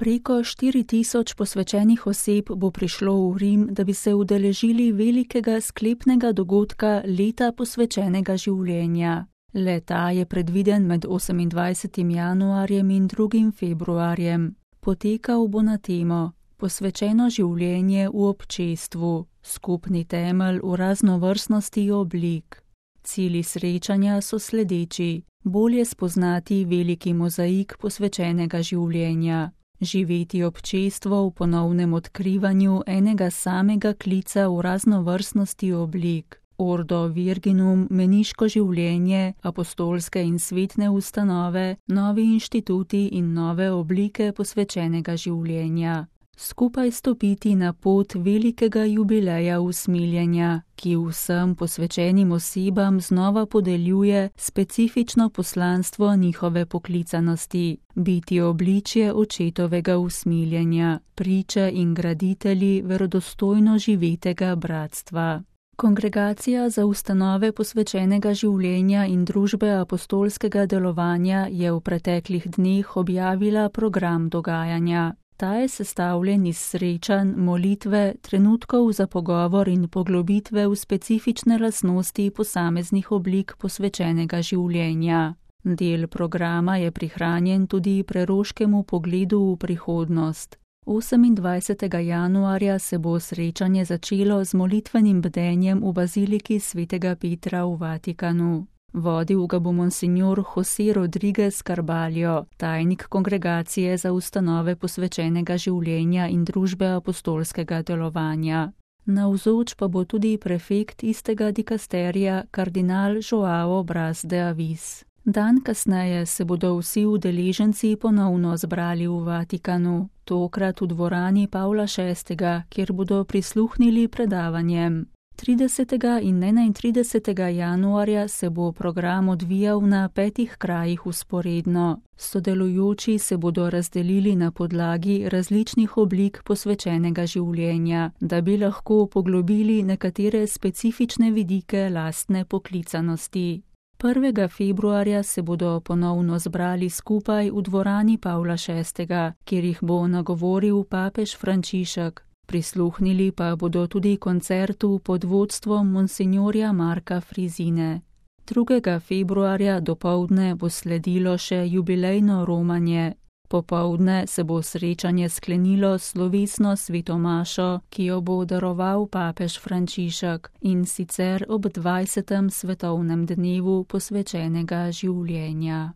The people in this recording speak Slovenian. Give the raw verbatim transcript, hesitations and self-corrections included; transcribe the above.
Preko štiri tisoč posvečenih oseb bo prišlo v Rim, da bi se udeležili velikega sklepnega dogodka Leta posvečenega življenja. Le-ta je predviden med osemindvajsetim januarjem in drugim februarjem. Potekal bo na temo Posvečeno življenje v občestvu, skupni temelj v raznovrstnosti oblik. Cilji srečanja so sledeči: bolje spoznati veliki mozaik posvečenega življenja, živeti občestvo v ponovnem odkrivanju enega samega klica v raznovrstnosti oblik, Ordo Virginum, meniško življenje, apostolske in svetne ustanove, novi inštituti in nove oblike posvečenega življenja. Skupaj stopiti na pot velikega jubileja usmiljenja, ki vsem posvečenim osebam znova podeljuje specifično poslanstvo njihove poklicanosti, biti obličje očetovega usmiljenja, priče in graditelji verodostojno živetega bratstva. Kongregacija za ustanove posvečenega življenja in družbe apostolskega delovanja je v preteklih dneh objavila program dogajanja. Ta je sestavljen iz srečanj, molitve, trenutkov za pogovor in poglobitve v specifične lastnosti posameznih oblik posvečenega življenja. Del programa je prihranjen tudi preroškemu pogledu v prihodnost. osemindvajsetega januarja se bo srečanje začelo z molitvenim bdenjem v baziliki svetega Petra v Vatikanu. Vodil ga bo monsignor José Rodríguez Carballo, tajnik Kongregacije za ustanove posvečenega življenja in družbe apostolskega delovanja. Navzoč pa bo tudi prefekt istega dikasterija, kardinal Joao Braz de Avis. Dan kasneje se bodo vsi udeleženci ponovno zbrali v Vatikanu, tokrat v dvorani Pavla šestega, kjer bodo prisluhnili predavanjem. tridesetega in enaintridesetega januarja se bo program odvijal na petih krajih vzporedno. Sodelujoči se bodo razdelili na podlagi različnih oblik posvečenega življenja, da bi lahko poglobili nekatere specifične vidike lastne poklicanosti. prvega februarja se bodo ponovno zbrali skupaj v dvorani Pavla šestega, kjer jih bo nagovoril papež Frančišek. Prisluhnili pa bodo tudi koncertu pod vodstvom monsignorja Marka Frizine. drugega februarja dopoldne bo sledilo še jubilejno romanje. Popoldne se bo srečanje sklenilo s slovesno sveto mašo, ki jo bo daroval papež Frančišek, in sicer ob dvajsetem svetovnem dnevu posvečenega življenja.